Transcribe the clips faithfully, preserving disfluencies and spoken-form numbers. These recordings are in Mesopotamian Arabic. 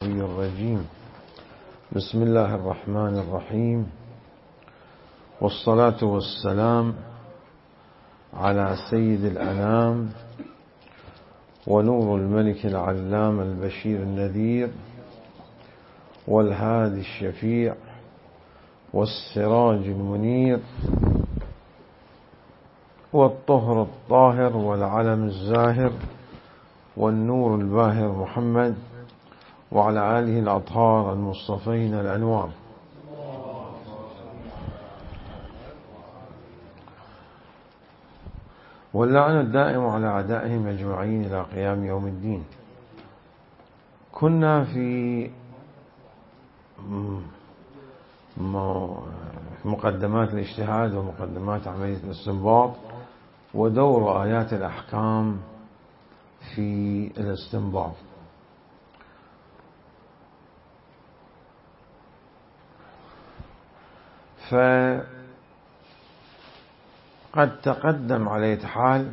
الرجيم. بسم الله الرحمن الرحيم، والصلاة والسلام على سيد الأنام ونور الملك العلام البشير النذير والهادي الشفيع والسراج المنير والطهر الطاهر والعلم الزاهر والنور الباهر محمد وعلى آله الأطهار المصطفين الأنوار. واللعن الدائم على أعدائهم أجمعين إلى قيام يوم الدين. كنا في مقدمات الاجتهاد ومقدمات عملية الاستنباط ودور آيات الأحكام في الاستنباط. فقد تقدم على حال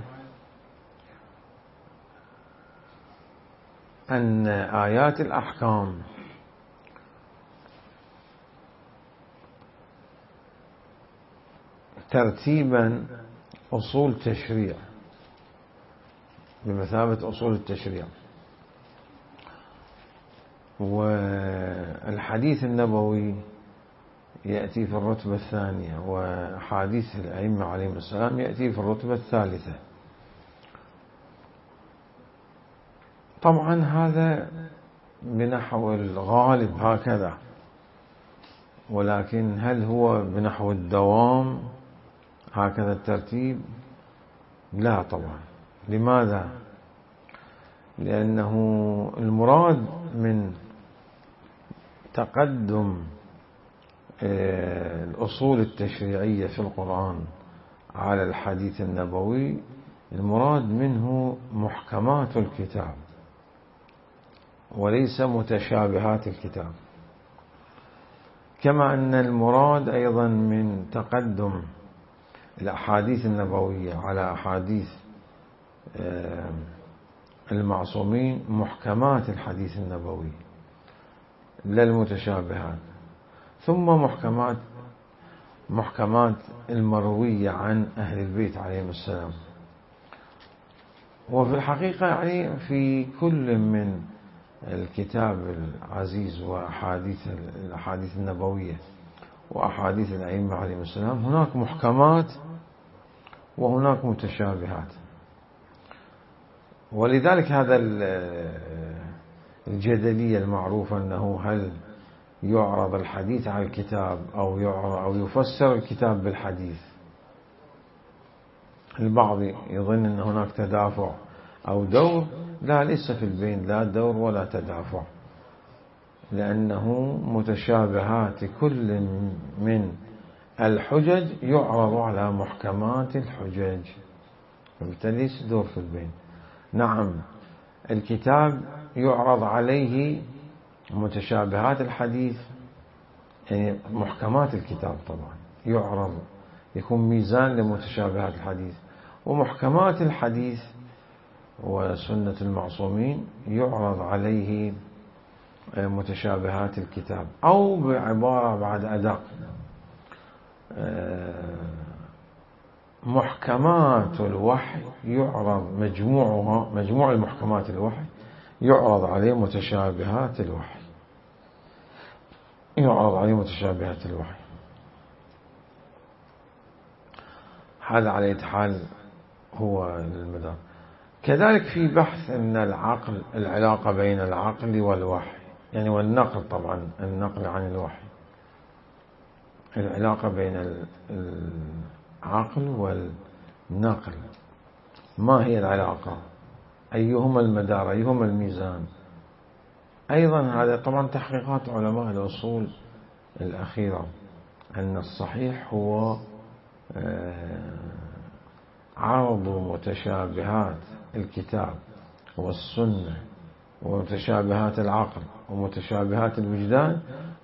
أن آيات الأحكام ترتيبا أصول تشريع بمثابة أصول التشريع، والحديث النبوي يأتي في الرتبة الثانية، وحديث الأئمة عليهم السلام يأتي في الرتبة الثالثة. طبعا هذا بنحو الغالب هكذا، ولكن هل هو بنحو الدوام هكذا الترتيب؟ لا طبعا. لماذا؟ لأنه المراد من تقدم الأصول التشريعية في القرآن على الحديث النبوي، المراد منه محكمات الكتاب وليس متشابهات الكتاب، كما أن المراد أيضا من تقدم الأحاديث النبوية على أحاديث المعصومين محكمات الحديث النبوي لا المتشابهات، ثم محكمات محكمات المروية عن أهل البيت عليهم السلام. وفي الحقيقة يعني في كل من الكتاب العزيز وأحاديث الأحاديث النبوية وأحاديث الأئمة عليهم السلام هناك محكمات وهناك متشابهات. ولذلك هذا الجدلية المعروفة أنه هل يعرض الحديث على الكتاب أو يعرض أو يفسر الكتاب بالحديث. البعض يظن أن هناك تدافع أو دور، لا، ليس في البين لا دور ولا تدافع، لأنه متشابهات كل من الحجج يعرض على محكمات الحجج، فبالتالي ليس دور في البين. نعم، الكتاب يعرض عليه متشابهات الحديث، يعني محكمات الكتاب طبعا يعرض، يكون ميزان لمتشابهات الحديث، ومحكمات الحديث وسنة المعصومين يعرض عليه متشابهات الكتاب، أو بعبارة بعد أدق، محكمات الوحي يعرض مجموعها مجموع المحكمات الوحي يعرض عليه متشابهات الوحي يعرض عليه متشابهات الوحي. هذا على أي حال هو المدار. كذلك في بحث أن العقل، العلاقة بين العقل والوحي، يعني والنقل، طبعا النقل عن الوحي، العلاقة بين العقل والنقل، ما هي العلاقة؟ أيهما المدار؟ أيهما الميزان؟ أيضا هذا طبعا تحقيقات علماء الأصول الأخيرة، أن الصحيح هو عرض متشابهات الكتاب والسنة ومتشابهات العقل ومتشابهات الوجدان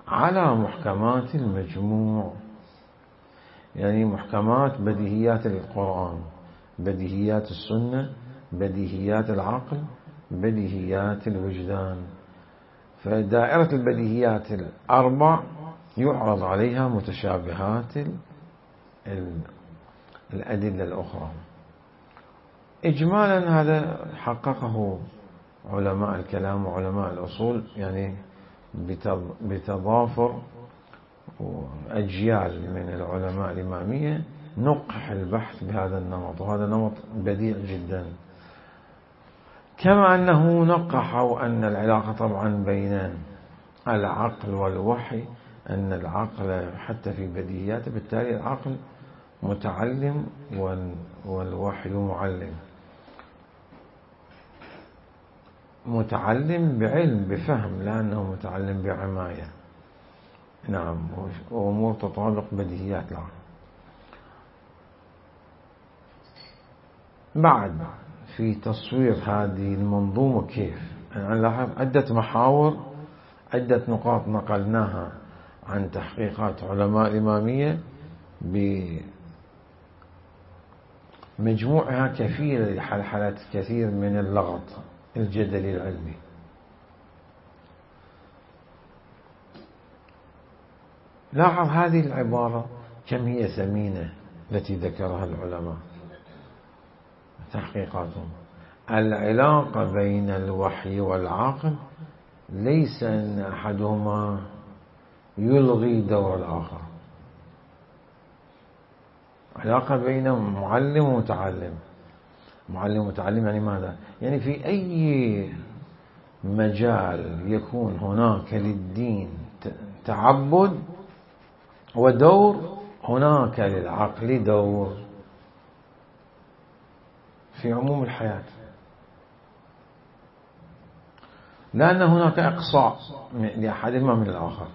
على محكمات المجموع، يعني محكمات بديهيات القرآن، بديهيات السنة، بديهيات العقل، بديهيات الوجدان. فدائرة البديهيات الأربع يعرض عليها متشابهات الأدلة الأخرى. إجمالا هذا حققه علماء الكلام وعلماء الأصول، يعني بتضافر أجيال من العلماء الإمامية نقح البحث بهذا النمط، وهذا نمط بديع جدا. كما أنه نقحوا أن العلاقة طبعا بين العقل والوحي، أن العقل حتى في بديهياته، بالتالي العقل متعلم والوحي معلم، متعلم بعلم بفهم، لأنه متعلم بعماية. نعم، وأمور تطابق بديهيات العقل. بعد في تصوير هذه المنظومة كيف نلاحظ عدة محاور، عدة نقاط نقلناها عن تحقيقات علماء الإمامية بمجموعها كفيلة لحلحلة كثير من اللغط الجدلي العلمي. لاحظ هذه العبارة كم هي ثمينة التي ذكرها العلماء تحقيقاتهم. العلاقة بين الوحي والعقل ليس أن أحدهما يلغي دور الآخر، علاقة بين معلم ومتعلم. معلم ومتعلم يعني ماذا؟ يعني في أي مجال يكون هناك للدين تعبد ودور، هناك للعقل دور في عموم الحياة، لأن هناك إقصاء لأحدهما من الآخر،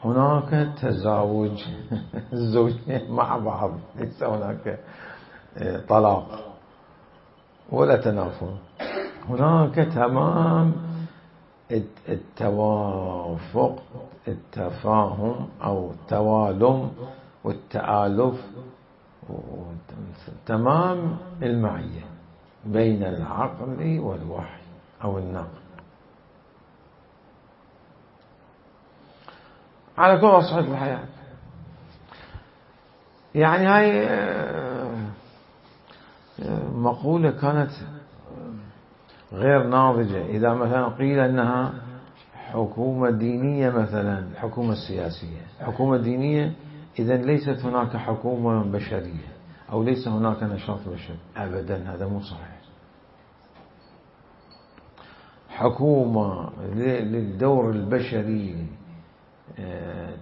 هناك تزاوج الزوجين مع بعض، ليس هناك طلاق ولا تنافر، هناك تمام التوافق، التفاهم أو التوالم والتآلف، تمام المعية بين العقل والوحي أو النقل على كل أصعدة الحياة. يعني هاي مقولة كانت غير ناضجة. إذا مثلا قيل أنها حكومة دينية، مثلا الحكومة السياسية حكومة دينية، إذن ليست هناك حكومة بشرية أو ليس هناك نشاط بشري، أبدا، هذا مو صحيح. حكومة للدور البشري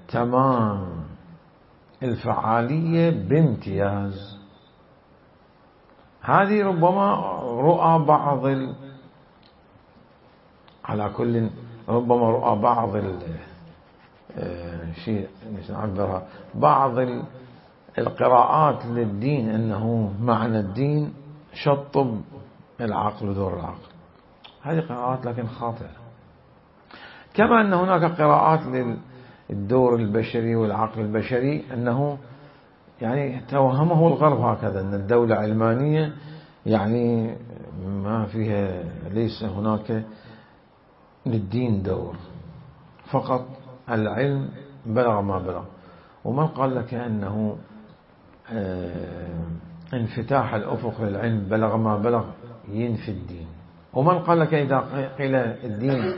تمام الفعالية بامتياز. هذه ربما رؤى بعض ال... على كل ربما رؤى بعض ال... شيء نعبرها بعض ال... القراءات للدين، أنه معنى الدين شطب العقل ودور العقل. هذه قراءات لكن خاطئة. كما أن هناك قراءات للدور البشري والعقل البشري، أنه يعني توهمه الغرب هكذا، أن الدولة علمانية يعني ما فيها، ليس هناك للدين دور، فقط العلم بلغ ما بلغ. ومن قال لك أنه انفتاح الأفق للعلم بلغ ما بلغ ينفي الدين؟ ومن قال لك إذا قيل الدين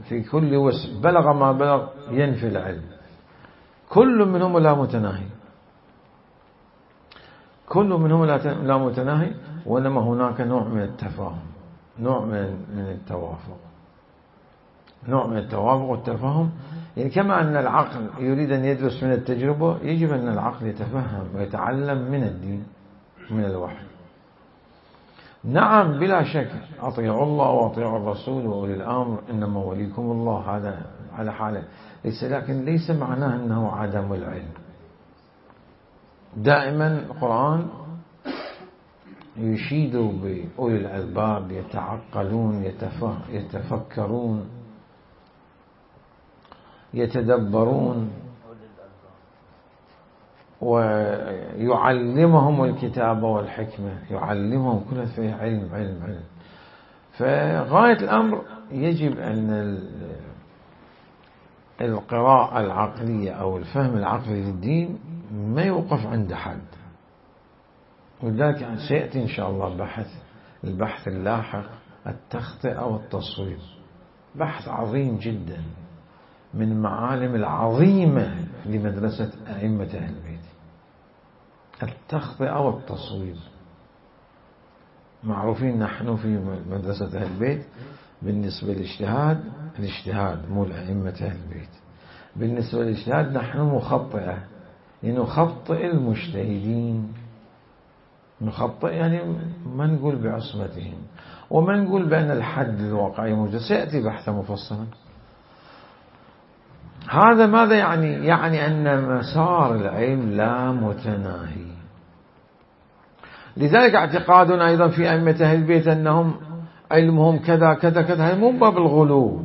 في كل وسع بلغ ما بلغ ينفي العلم؟ كل منهم لا متناهي، كل منهم لا متناهي، وإنما هناك نوع من التفاهم، نوع من التوافق، نوع من التوافق والتفاهم. يعني كما أن العقل يريد أن يدرس من التجربة، يجب أن العقل يتفهم ويتعلم من الدين، من الوحي. نعم بلا شك، أطيعوا الله وأطيعوا الرسول وأولي الأمر، إنما وليكم الله، هذا على حاله، ليس، لكن ليس معناه أنه عدم العلم. دائما القرآن يشيد بأولي الألباب، يتعقلون، يتفكرون، يتدبرون، ويعلمهم الكتاب والحكمة، يعلمهم كل فيه علم علم علم. فغاية الأمر يجب أن القراءة العقلية أو الفهم العقلي للدين ما يوقف عند حد، ولذلك سيأتي إن شاء الله بحث البحث اللاحق التخطئة والتصويب، بحث عظيم جدا من معالم العظيمة لمدرسة أئمة أهل البيت، التخطئة والتصويب. معروفين نحن في مدرسة أهل البيت بالنسبة للاجتهاد، الاجتهاد مو لأئمة أهل البيت، بالنسبة للاجتهاد نحن مخطئة، يعني نخطئ المجتهدين، نخطئ يعني ما نقول بعصمتهم، وما نقول بأن الحد الواقعي موجود، سيأتي بحثا مفصلا. هذا ماذا يعني؟ يعني أن مسار العلم لا متناهي. لذلك اعتقادنا أيضا في أئمة أهل البيت أنهم علمهم كذا كذا كذا، هذا مو باب الغلو،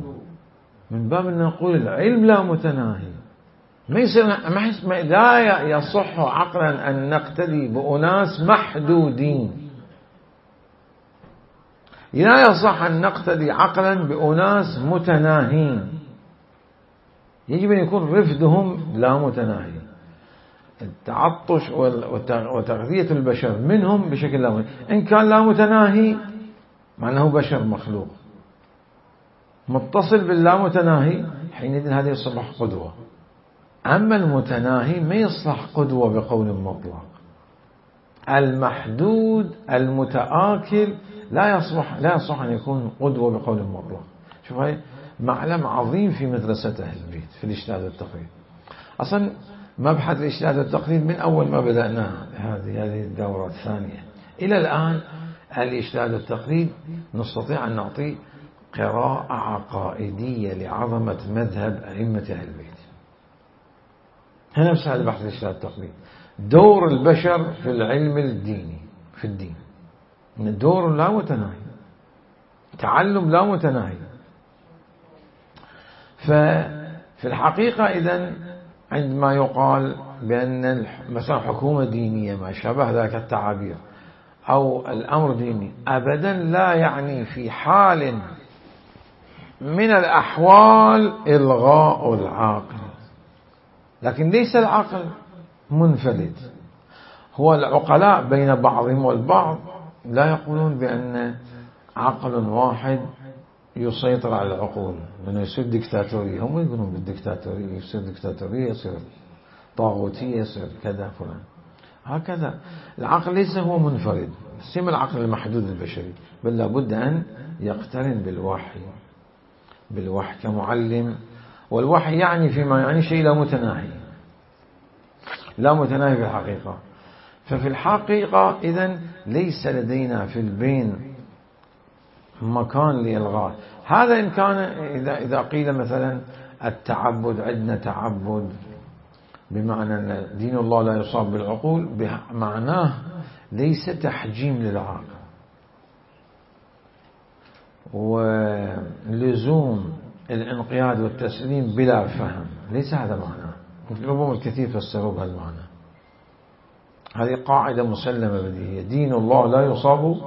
من باب أن نقول العلم لا متناهي. ما يصير ما لا يصح عقلا أن نقتدي بأناس محدودين، لا يصح أن نقتدي عقلا بأناس متناهين، يجب أن يكون رفدهم لا متناهي، التعطش وتغذية البشر منهم بشكل لا متناهي. إن كان لا متناهي معناه بشر مخلوق متصل باللا متناهي، حينئذ هذا يصبح قدوة. أما المتناهي ما يصلح قدوة بقول مطلق، المحدود المتآكل لا يصلح لا يصح أن يكون قدوة بقول مطلق. شوف هاي معلم عظيم في مدرسة أهل البيت في الاجتهاد والتقليد. أصلا مبحث الاجتهاد والتقليد من أول ما بدأنا هذه هذه الدورة الثانية إلى الآن، الاجتهاد والتقليد نستطيع أن نعطي قراءة عقائدية لعظمة مذهب أئمة أهل البيت. هنا نفس هذا بحث الاجتهاد والتقليد، دور البشر في العلم الديني في الدين، دور لا متناهي، تعلم لا متناهي. ففي الحقيقة إذن عندما يقال بأن مثلا حكومة دينية ما شابه ذلك التعابير أو الأمر ديني، أبدا لا يعني في حال من الأحوال إلغاء العقل، لكن ليس العقل منفلت. هو العقلاء بين بعضهم والبعض لا يقولون بأن عقل واحد يسيطر على العقول، لأنه يصير ديكتاتورية، هم يقولون بالديكتاتورية، يصير ديكتاتورية، يصير طاغوتية، يصير كذا فلان. هكذا العقل ليس هو منفرد، سيما العقل المحدود البشري، بل لابد أن يقترن بالوحي بالوحي كمعلم. والوحي يعني فيما يعني شيء لا متناهي، لا متناهي في الحقيقة. ففي الحقيقة إذن ليس لدينا في البين مكان لإلغاء هذا. إن كان إذا إذا قيل مثلا التعبد، عندنا تعبد بمعنى أن دين الله لا يصاب بالعقول، بمعناه ليس تحجيم للعقل ولزوم الانقياد والتسليم بلا فهم، ليس هذا معناه. ربما الكثير فسروا بهالمعنى. هذه قاعدة مسلمة بديهية، دين الله لا يصاب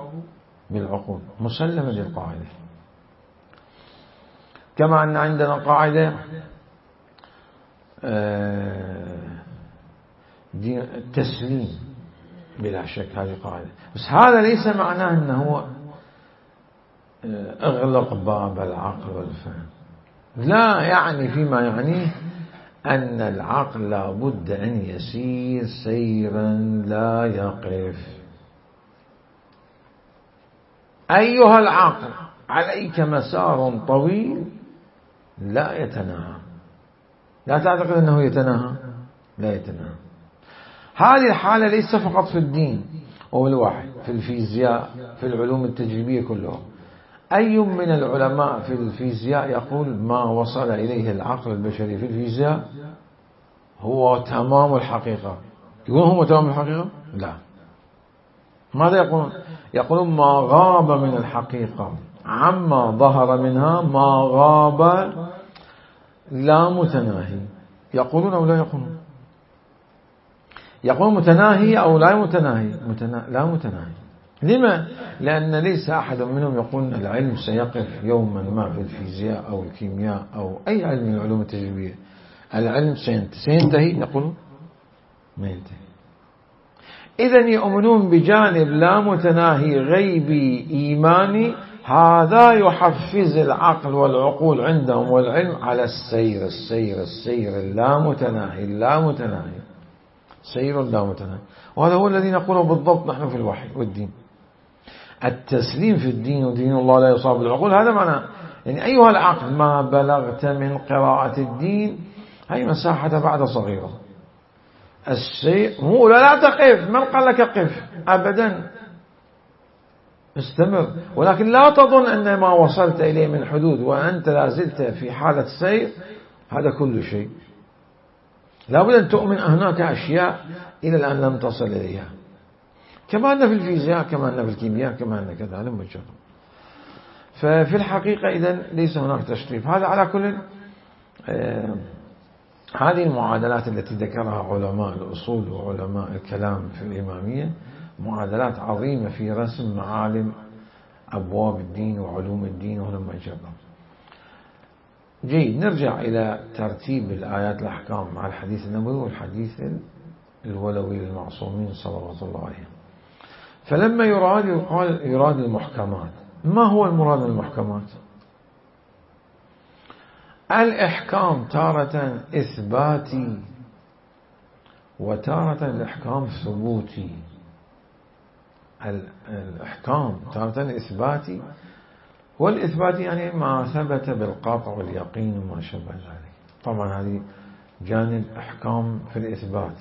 بالعقول، مسلمة للقاعدة. كما أن عندنا قاعدة دين التسليم بلا شك، هذه قاعدة، بس هذا ليس معناه أنه اغلق باب العقل والفهم، لا يعني فيما يعنيه أن العقل لا بد أن يسير سيرا لا يقف. أيها العقل عليك مسار طويل لا يتناهى، لا تعتقد أنه يتناهى، لا يتناهى. هذه الحالة ليس فقط في الدين والوحي، في الفيزياء، في العلوم التجريبية كلها. أي من العلماء في الفيزياء يقول ما وصل إليه العقل البشري في الفيزياء هو تمام الحقيقة؟ يقولون هو تمام الحقيقة؟ لا. ماذا يقولون؟ يقولون ما غاب من الحقيقة عما ظهر منها ما غاب لا متناهي. يقولون أو لا يقولون؟ يقولون متناهي أو لا متناهي؟ متنا... لا متناهي. لما؟ لأن ليس أحد منهم يقول العلم سيقف يوما ما في الفيزياء أو الكيمياء أو أي علم من العلوم التجريبية. العلم سينتهي، نقول ما ينتهي. إذن يؤمنون بجانب لا متناهي غيبي إيماني، هذا يحفز العقل والعقول عندهم والعلم على السير السير السير اللامتناهي اللامتناهي سير اللامتناهي. وهذا هو الذي نقوله بالضبط نحن في الوحي والدين. التسليم في الدين ودين الله لا يصاب العقول، هذا معنى يعني أيها العقل ما بلغت من قراءة الدين هي مساحة بعد صغيرة. الشيء مو لا تقف، من قال لك قف أبدا، استمر، ولكن لا تظن أن ما وصلت إليه من حدود وأنت لا زلت في حالة سير هذا كل شيء. لا بد أن تؤمن هناك أشياء إلى الآن لم تصل إليها، كما أن في الفيزياء كما أن في الكيمياء كما أن كذا لم يجرب. ففي الحقيقة إذن ليس هناك تشريف. هذا على كل آه هذه المعادلات التي ذكرها علماء الأصول وعلماء الكلام في الإمامية معادلات عظيمة في رسم معالم أبواب الدين وعلوم الدين ولم يجرب. جيد، نرجع إلى ترتيب الآيات الأحكام مع الحديث النبوي والحديث الولوي للمعصومين صلوات الله عليهم. فلما يراد يقال يراد المحكمات. ما هو المراد من المحكمات؟ الإحكام تارة إثباتي وتارة الإحكام ثبوتي. الإحكام تارة إثباتي، والإثبات يعني ما ثبت بالقطع واليقين وما شابه ذلك. طبعا هذه جانب أحكام في الإثبات،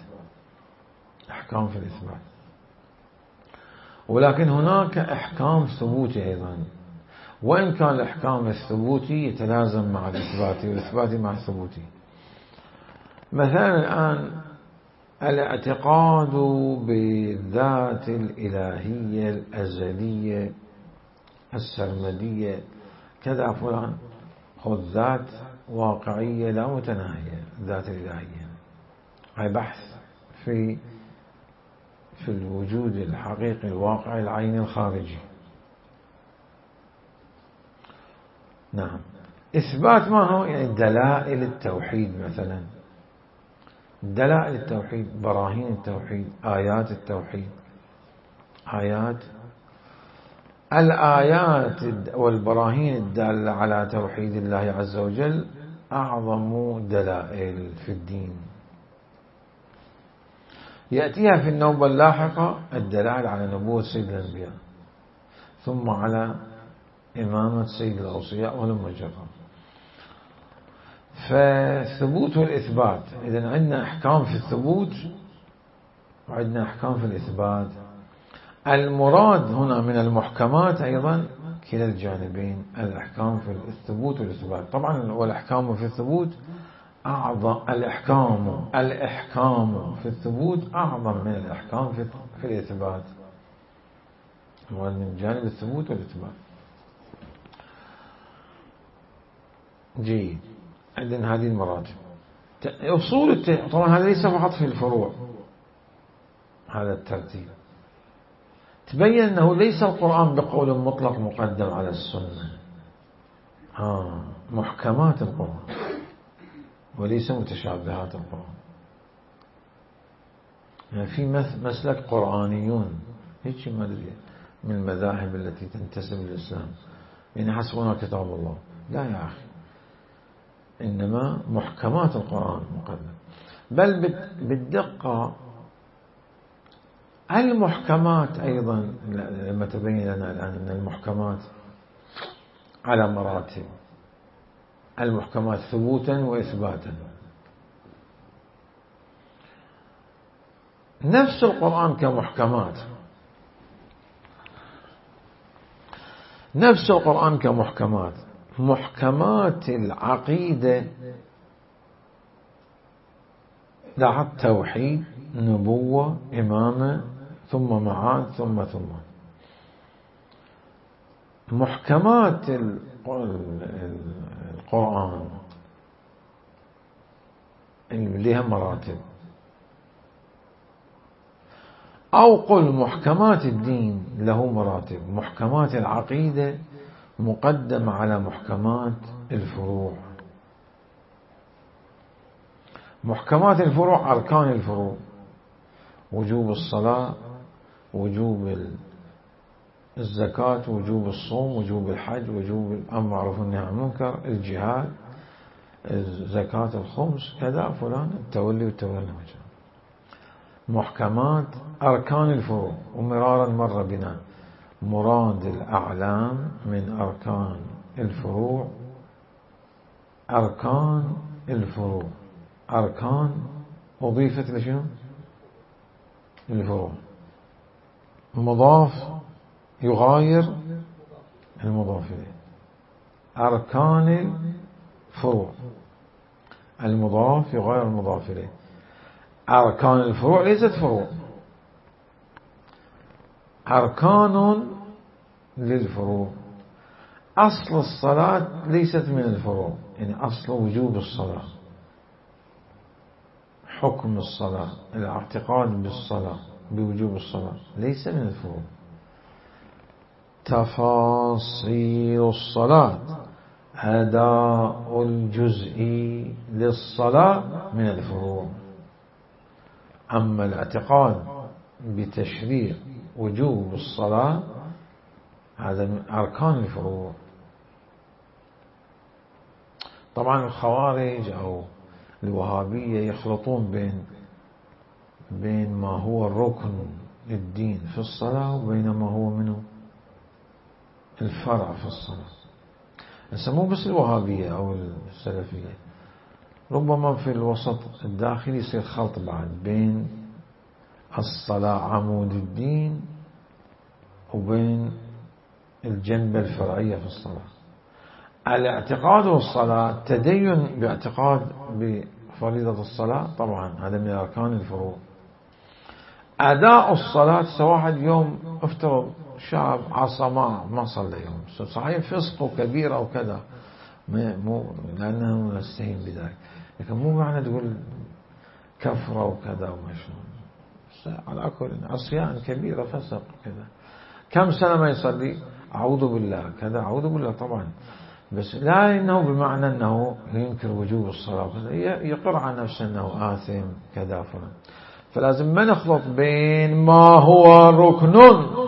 أحكام في الإثبات. ولكن هناك أحكام ثبوتي أيضا، وإن كان الإحكام الثبوتي يتلازم مع الإثباتي والإثباتي مع الثبوتي. مثلا الآن الاعتقاد بالذات الإلهية الأزلية السرمدية كذا فلان، خذ ذات واقعية لا متناهية، الذات الإلهية، هاي بحث في في الوجود الحقيقي الواقعي العيني الخارجي. نعم. إثبات ما هو؟ يعني دلائل التوحيد، مثلا دلائل التوحيد، براهين التوحيد، آيات التوحيد. آيات الآيات والبراهين الدالة على توحيد الله عز وجل أعظم دلائل في الدين. يأتيها في النوبة اللاحقة الدلائل على نبوة سيد الأنبياء، ثم على إمامة سيد الأوصياء ولم يجرب. فثبوت والإثبات، إذن عندنا أحكام في الثبوت وعندنا أحكام في الإثبات. المراد هنا من المحكمات أيضا كلا الجانبين، الأحكام في الثبوت والإثبات. طبعا والأحكام في الثبوت أعظم، الإحكام الإحكام في الثبوت أعظم من الإحكام في في الإثبات، من جانب الثبوت والإثبات. جيد، عندنا هذه المراتب. أصول الت... طبعا هذا ليس فقط في الفروع، هذا الترتيب. تبين أنه ليس القرآن بقول مطلق مقدم على السنة، آه محكمات القرآن وليس متشابهات القرآن. يعني في مسلك قرآنيون هيك ما أدري من المذاهب التي تنتسب للإسلام، يعني حسبنا كتاب الله، لا يا أخي، إنما محكمات القرآن مقدم. بل بالدقة المحكمات أيضا لما تبين لنا الآن أن المحكمات على مراتب، المحكمات ثبوتا وإثباتا. نفس القرآن كمحكمات، نفس القرآن كمحكمات. محكمات العقيدة لاحظ توحيد، نبوة، إمامة، ثم معاد، ثم ثم محكمات القرآن اللي لها مراتب. أو قل محكمات الدين له مراتب. محكمات العقيدة مقدمة على محكمات الفروع. محكمات الفروع أركان الفروع: وجوب الصلاة، وجوب الزكاة، وجوب الصوم، وجوب الحج، وجوب الأمر بالمعروف والنهي عن المنكر، الجهاد، زكاة الخمس، كذا فلان، التولي والتولي. محكمات أركان الفروع. ومرارا مر بنا مراد الأعلام من أركان الفروع. أركان الفروع أركان أضيفت لشنو؟ الفروع. مضاف يغاير المضاف إليه. أركان الفروع المضاف يغاير المضاف إليه. أركان الفروع ليست فروع، أركان للفروع. أصل الصلاة ليست من الفروع، يعني أصل وجوب الصلاة، حكم الصلاة، الاعتقاد بالصلاة بوجوب الصلاة ليس من الفروع. تفاصيل الصلاة، أداء الجزء للصلاة من الفروع. أما الاعتقاد بتشريع وجوب الصلاة هذا من أركان الفروع. طبعا الخوارج أو الوهابية يخلطون بين بين ما هو الركن للدين في الصلاة وبين ما هو منه الفرع في الصلاة. مو بس الوهابية أو السلفية، ربما في الوسط الداخلي يصير خلط بعد بين الصلاة عمود الدين وبين الجنبة الفرعية في الصلاة. الاعتقاد والصلاة، تدين باعتقاد بفريضة الصلاة طبعا هذا من أركان الفروع. أداء الصلاة، واحد يوم افترض شاب عصى ما ما صلى يوم، صحيح فسق كبيرة وكذا، مو لأنه نستهين بذلك، لكن مو معنى تقول كفرة وكذا ومشون. على كل عصيان كبيرة فسق كذا، كم سنة ما يصلي، أعوذ بالله كذا، أعوذ بالله طبعا، بس لا إنه بمعنى أنه ينكر وجوب الصلاة، يقر عن نفسه أنه آثم كذا فلان. فلازم ما نخلط بين ما هو ركن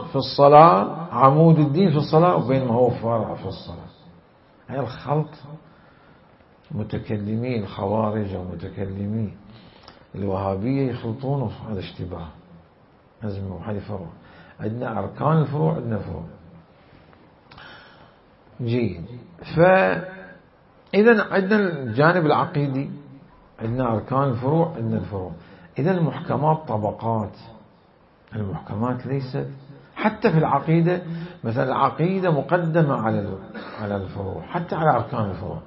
في الصلاة عمود الدين في الصلاة وبين ما هو فرع في الصلاة. هاي الخلط متكلمي الخوارج ومتكلمي الوهابية يخلطونه، هذا اشتباه. لازم هذه فروع. عندنا أركان الفروع، عندنا فروع. جيد. فإذا عندنا الجانب العقيدي، عندنا أركان الفروع، عندنا الفروع. إذا المحكمات طبقات. المحكمات ليست حتى في العقيدة، مثلا العقيدة مقدمة على على الفروع، حتى على أركان الفروع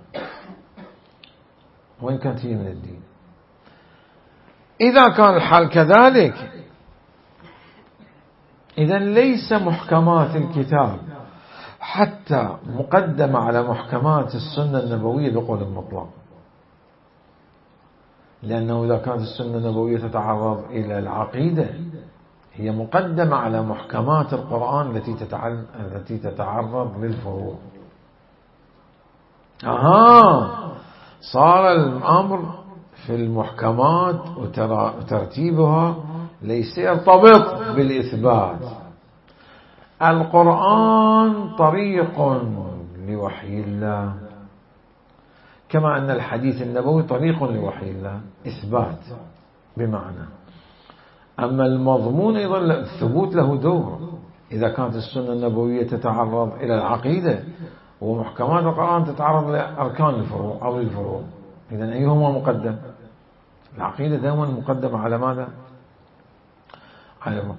وإن كانت هي من الدين. إذا كان الحال كذلك، إذا ليس محكمات الكتاب حتى مقدمة على محكمات السنة النبوية بقول مطلق، لأنه إذا كانت السنة النبوية تتعرض إلى العقيدة هي مقدمة على محكمات القرآن التي التي تتعرض للفروع. أها، صار الأمر في المحكمات وترتيبها ليس يرتبط بالإثبات. القرآن طريق لوحي الله، كما أن الحديث النبوي طريق لوحي الله إثبات بمعنى. أما المضمون أيضا الثبوت له دور. إذا كانت السنة النبوية تتعرض إلى العقيدة ومحكمات القرآن تتعرض لأركان الفروع أو للفروع، إذن أيهما مقدم؟ العقيدة دائما مقدمة على ماذا؟ على ما.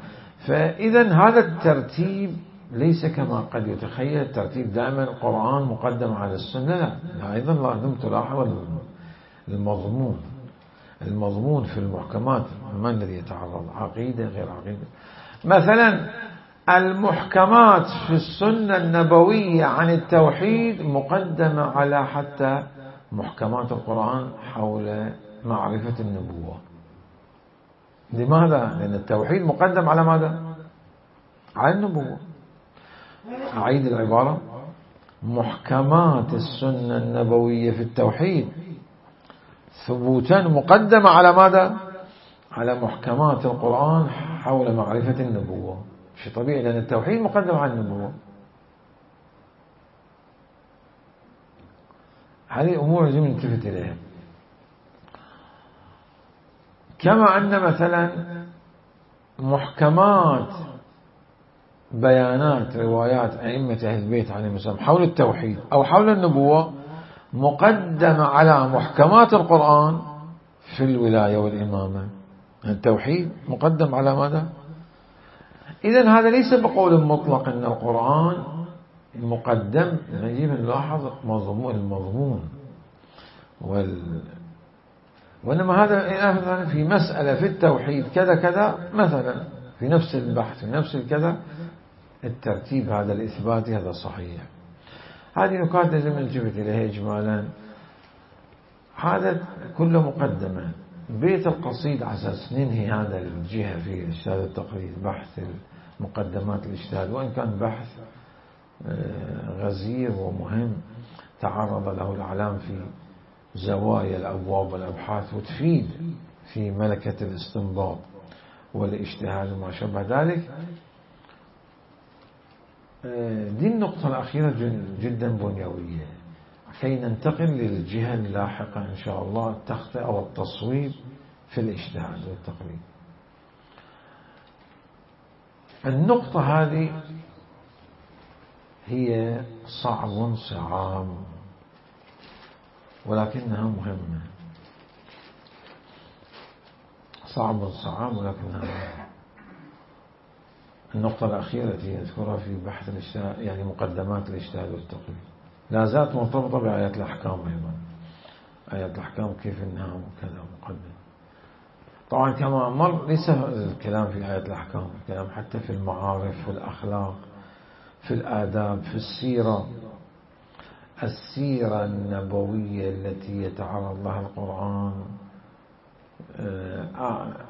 فإذا هذا الترتيب ليس كما قد يتخيل الترتيب دائما القرآن مقدم على السنة، لا. أيضا لازم تلاحظ المضمون. المضمون في المحكمات ما الذي يتعرض؟ عقيدة غير عقيدة. مثلا المحكمات في السنة النبوية عن التوحيد مقدمة على حتى محكمات القرآن حول معرفة النبوة. لماذا؟ لأن التوحيد مقدم على ماذا؟ على النبوة. أعيد العبارة: محكمات السنة النبوية في التوحيد ثبوتا مقدمة على ماذا؟ على محكمات القرآن حول معرفة النبوة. شيء طبيعي، لأن التوحيد مقدم على النبوة. هذه أمور يجب أن نلتفت إليها. كما أن مثلا محكمات بيانات روايات أئمة أهل البيت عليهم السلام حول التوحيد أو حول النبوة مقدمة على محكمات القرآن في الولاية والإمامة. التوحيد مقدم على ماذا؟ إذن هذا ليس بقول مطلق أن القرآن مقدم. نجيب نلاحظ مضمون المضمون وال... وإنما هذا مثلا في مسألة في التوحيد كذا كذا، مثلا في نفس البحث في نفس الكذا، الترتيب هذا الإثباتي هذا صحيح. هذه نقاط لازم نلتفت إليها إجمالا. هذا كله مقدمة. بيت القصيد على أساس ننهي هذا الجهة في إجتهاد التقرير، بحث مقدمات الاجتهاد، وإن كان بحث غزير ومهم تعرض له الإعلام في زوايا الأبواب والأبحاث، وتفيد في ملكة الاستنباط والاجتهاد وما شابه ذلك. دي النقطة الأخيرة جدا بنيوية كي ننتقل للجهة اللاحقة إن شاء الله، التخطئة والتصويب في الاجتهاد والتقريب. النقطة هذه هي صعب صعاب ولكنها مهمة. صعب صعاب ولكنها مهمة. النقطة الأخيرة التي يذكرها في بحث الاجتهاد، يعني مقدمات الاجتهاد والتقريب، لا زالت مرتبطة بآيات الأحكام أيضا. آيات الأحكام كيف إنها وكذا مقدم. طبعا كما مر ليس الكلام في آيات الأحكام، الكلام حتى في المعارف والأخلاق، في الآداب، في السيرة. السيرة النبوية التي يتعرض لها القرآن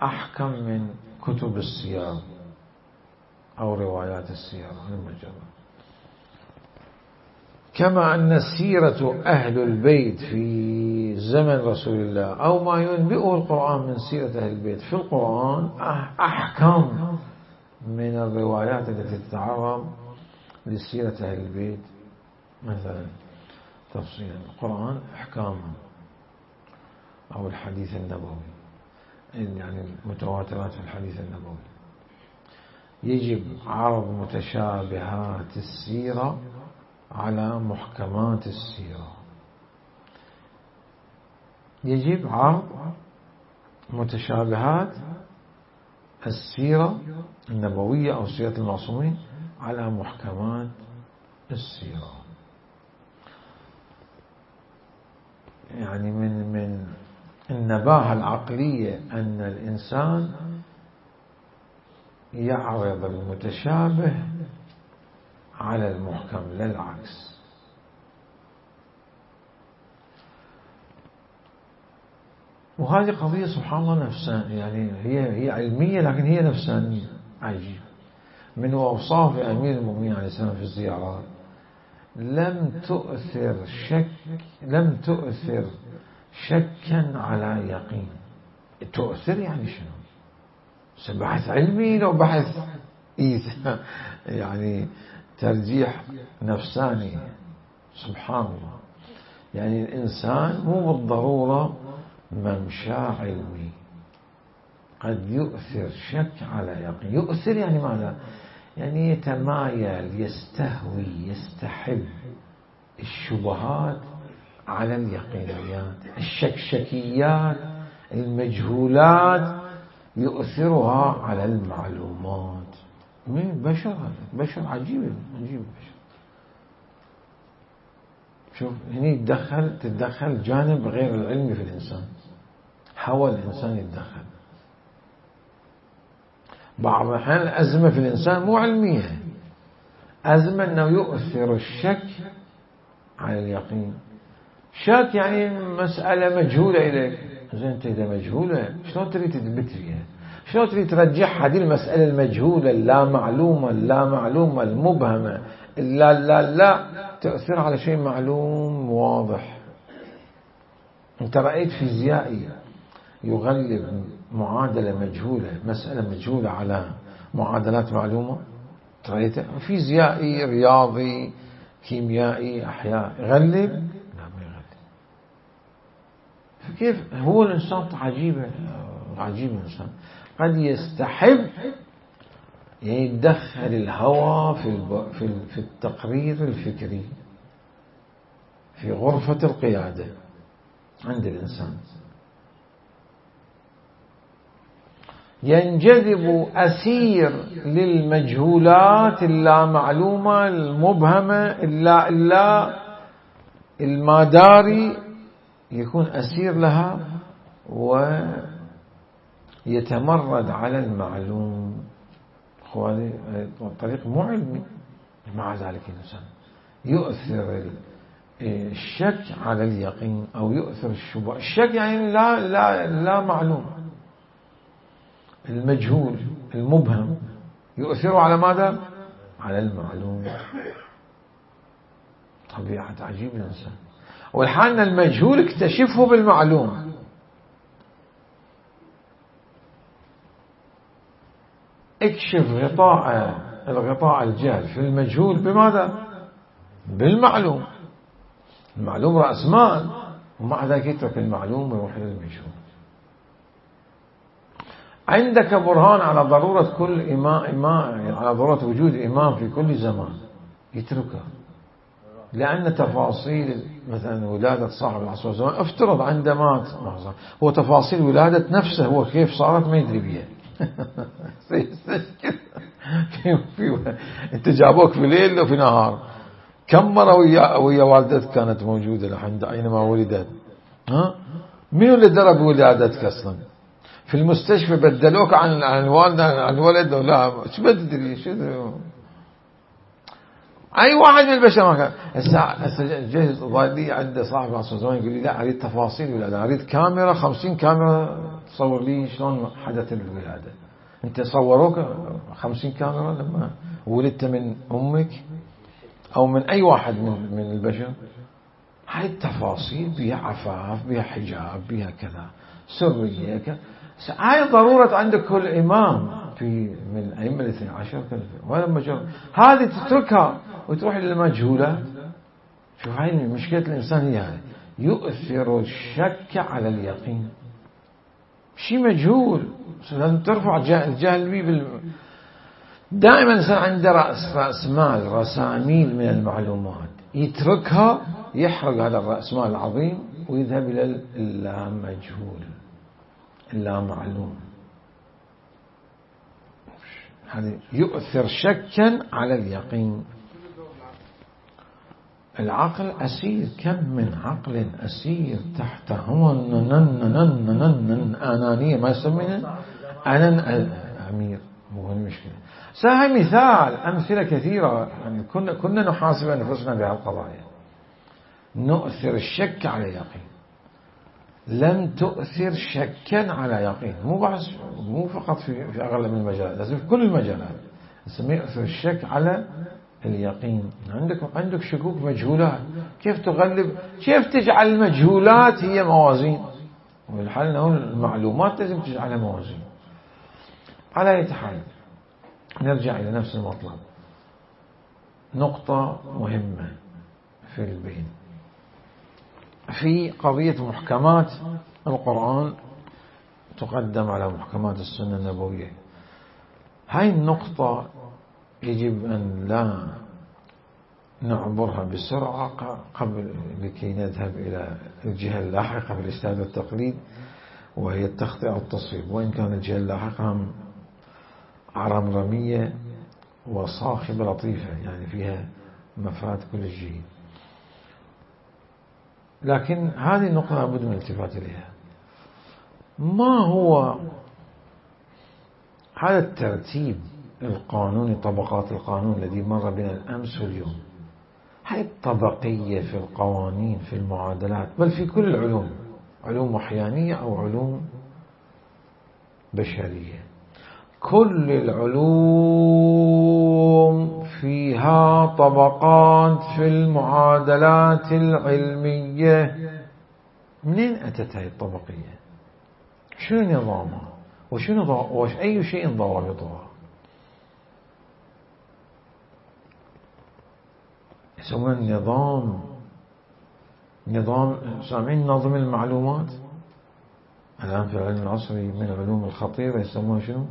أحكم من كتب السير أو روايات السيرة المجرد. كما أن سيرة أهل البيت في زمن رسول الله أو ما ينبئه القرآن من سيرة أهل البيت في القرآن أحكم من الروايات التي تتعرض لسيرة أهل البيت. مثلا تفصيل القرآن أحكام أو الحديث النبوي، يعني المتواترات في الحديث النبوي. يجب عرض متشابهات السيرة على محكمات السيرة. يجب عرض متشابهات السيرة النبوية أو سيرة المعصومين على محكمات السيرة. يعني من من النباهة العقلية أن الإنسان يعرض المتشابه على المحكم لا العكس. وهذه قضية سبحان الله نفسان، يعني هي هي علمية لكن هي نفسانية. عجيب. من أوصاف أمير المؤمنين عليه السلام في الزيارات لم تؤثر شك لم تؤثر شكا على يقين. تؤثر يعني شنو؟ بحث علمي لو بحث يعني ترجيح نفساني. سبحان الله. يعني الإنسان مو بالضرورة ممشى علمي، قد يؤثر شك على يقين. يؤثر يعني ماذا؟ يعني يتمايل، يستهوي، يستحب الشبهات على اليقينيات، الشكشكيات، المجهولات يؤثرها على المعلومات. من بشر هذا بشر عجيب عجيب بشر. شوف هنا يتدخل تتدخل جانب غير العلمي في الإنسان. حاول الإنسان يتدخل. بعض الأحيان الأزمة في الإنسان مو علمية، أزمة أنه يؤثر الشك على اليقين. شك يعني مسألة مجهولة إليك، زين أنت إذا مجهولة شلون تريد تثبت فيها؟ شلون تريد ترجعها هذه المسألة المجهولة اللا معلومة اللا معلومة المبهمة لا لا لا تأثير على شيء معلوم واضح. أنت رأيت فيزيائي يغلب معادلة مجهولة مسألة مجهولة على معادلات معلومة؟ رأيته فيزيائي رياضي كيميائي أحياء يغلب؟ لا ما يغلب. فكيف هو الإنسان عجيب عجيب الإنسان قد يستحب يتدخل الهوى في في التقرير الفكري في غرفة القيادة عند الإنسان، ينجذب أسير للمجهولات اللامعلومة المبهمة اللا إلا الماداري، يكون أسير لها ويتمرد على المعلوم. هذا طريق مو علمي. مع ذلك الإنسان يؤثر الشك على اليقين أو يؤثر الشبهة. الشك يعني لا لا لا معلوم المجهول المبهم يؤثر على ماذا؟ على المعلوم. طبيعة عجيب الإنسان. والحال المجهول اكتشفه بالمعلوم. اكشف غطاء الغطاء الجهل في المجهول بماذا؟ بالمعلوم. المعلوم رأس مال ومع ذلك يترك المعلوم ويروح إلى المجهول. عندك برهان على ضرورة كل إمام, إمام على ضرورة وجود إمام في كل زمان يتركه، لأن تفاصيل مثلا ولادة صاحب العصر والزمان افترض عندما هو تفاصيل ولادة نفسه هو كيف صارت ما يدري بيها. في في انت جابوك في ليل وفي نهار كم مرة ويا ويا والدتك كانت موجودة لحد أينما ولدت؟ ها مين اللي درب ولادتك أصلا؟ في المستشفى بدلوك عن عن الوالد عن الولد ولا شو بدري شو أي واحد من البشر ما كان. هسه هسه جهز ضايلي عند صاحب العصر زمان يقول لي لا أريد تفاصيل ولادة، أريد كاميرا خمسين كاميرا تصور لي شلون حدث الولادة. أنت صوروك خمسين كاميرا لما ولدت من أمك أو من أي واحد من من البشر؟ هاي التفاصيل بها عفاف بها حجاب بها كذا سرية كذا. هاي ضرورة عندك كل إمام في من الأئمة الاثني عشر ولما جرب هذه تتركها وتروح للمجهولات. شوف هاي مشكلة الإنسان هي هاي يؤثر الشك على اليقين. شيء مجهول لازم ترفع الجهل بيه بال... دائما الإنسان عنده رأس رأس مال رساميل من المعلومات يتركها يحرق هذا الرأس مال العظيم ويذهب إلى اللامجهول اللامعلوم. هذا يؤثر شكا على اليقين. العقل أسير، كم من عقل أسير تحت هو أنانية ما يسمينه أنا أمير. مو المشكلة. سهل مثال أمثلة كثيرة يعني كنا كنا نحاسب أنفسنا بهالقضايا. نؤثر الشك على يقين، لم تؤثر شكا على يقين. مو بس مو فقط في في أغلب المجالات، لازم في كل المجالات نسميه يؤثر الشك على اليقين. عندك عندك شكوك مجهولات، كيف تغلب؟ كيف تجعل المجهولات هي موازين؟ والحل انه المعلومات لازم تجعلها موازين. على أي حال نرجع إلى نفس المطلب. نقطة مهمة في البين في قضية محكمات القرآن تقدم على محكمات السنة النبوية. هاي النقطة يجب أن لا نعبرها بسرعة قبل لكي نذهب إلى الجهة اللاحقة في الاجتهاد والتقليد وهي التخطئة والتصويب، وإن كان الجهة اللاحقة عرمرمية وصاخبة لطيفة يعني فيها مفاد كل الجهة، لكن هذه النقطة لابد من الالتفات إليها. ما هو هذا الترتيب القانوني، طبقات القانون الذي مر بنا الأمس واليوم؟ هاي الطبقية في القوانين في المعادلات بل في كل العلوم، علوم وحيانية أو علوم بشرية، كل العلوم فيها طبقات في المعادلات العلمية. منين أتت هذه الطبقية؟ شنو نظامها؟ وشنو وش أي شيء ضوابطها؟ يسمون النظام نظام سامعين نظم المعلومات. الآن في العلم العصري من العلوم الخطيرة يسموها شنو؟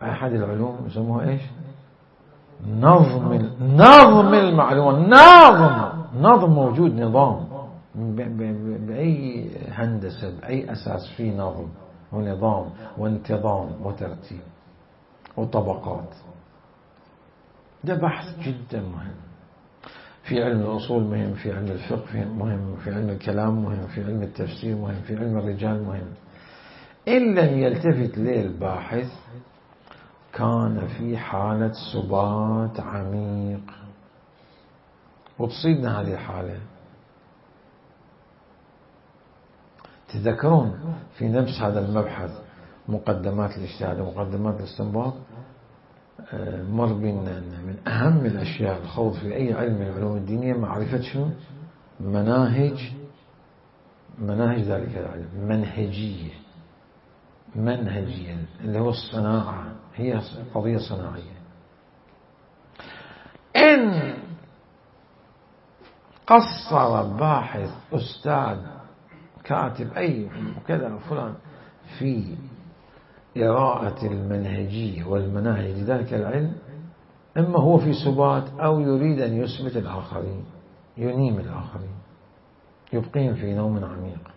أحد العلوم يسموها إيش؟ نظم نظم المعلومات. نظم نظم موجود نظام بأي هندسة بأي أساس في نظم ونظام وانتظام وترتيب وطبقات. ده بحث جدا مهم في علم الأصول، مهم في علم الفقه، مهم في علم الكلام، مهم في علم التفسير، مهم في علم الرجال، مهم. إن لم يلتفت ليه الباحث كان في حالة سبات عميق. وتصيبنا هذه الحالة. تذكرون في نفس هذا المبحث مقدمات الاجتهاد ومقدمات الاستنباط مر بنا من أهم الأشياء الخوض في أي علم من العلوم الدينية معرفة شنو؟ مناهج مناهج ذلك العلم. منهجية منهجية اللي هو الصناعة، هي قضية صناعية. إن قصر باحث أستاذ كاتب أي وكذا فلان في قراءة المنهجية والمناهج ذلك العلم، إما هو في سبات أو يريد أن يثبت الآخرين، ينيم الآخرين، يبقيهم في نوم عميق.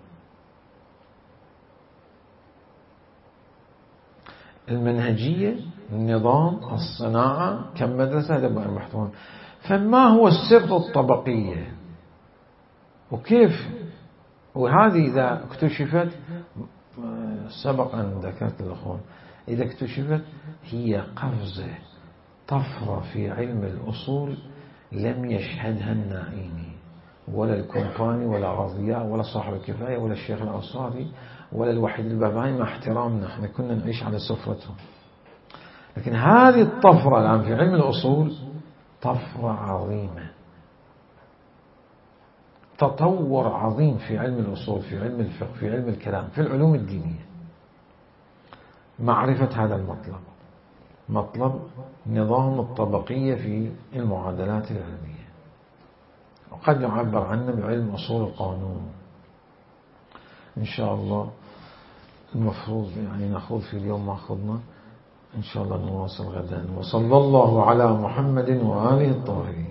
المنهجية، النظام، الصناعة كم مدرسة لبقى المحتوى. فما هو السر الطبقية وكيف؟ وهذه إذا اكتشفت، سبق أن ذكرت الأخوان، إذا اكتشفت هي قفزة طفرة في علم الأصول لم يشهدها النائيني ولا الكومباني ولا الرضياء ولا صاحب الكفاية ولا الشيخ الأنصاري ولا الوحيد الباباني، مع احترامنا احنا كنا نعيش على سفرتهم. لكن هذه الطفرة الآن في علم الأصول طفرة عظيمة، تطور عظيم في علم الأصول، في علم الفقه، في علم الكلام، في العلوم الدينية. معرفة هذا المطلب، مطلب نظام الطبقية في المعادلات العلمية، وقد يعبر عنه بعلم أصول القانون. إن شاء الله المفروض يعني نخوض في اليوم ما أخذنا، إن شاء الله نواصل غدا. وصلى الله على محمد وآله الطاهرين.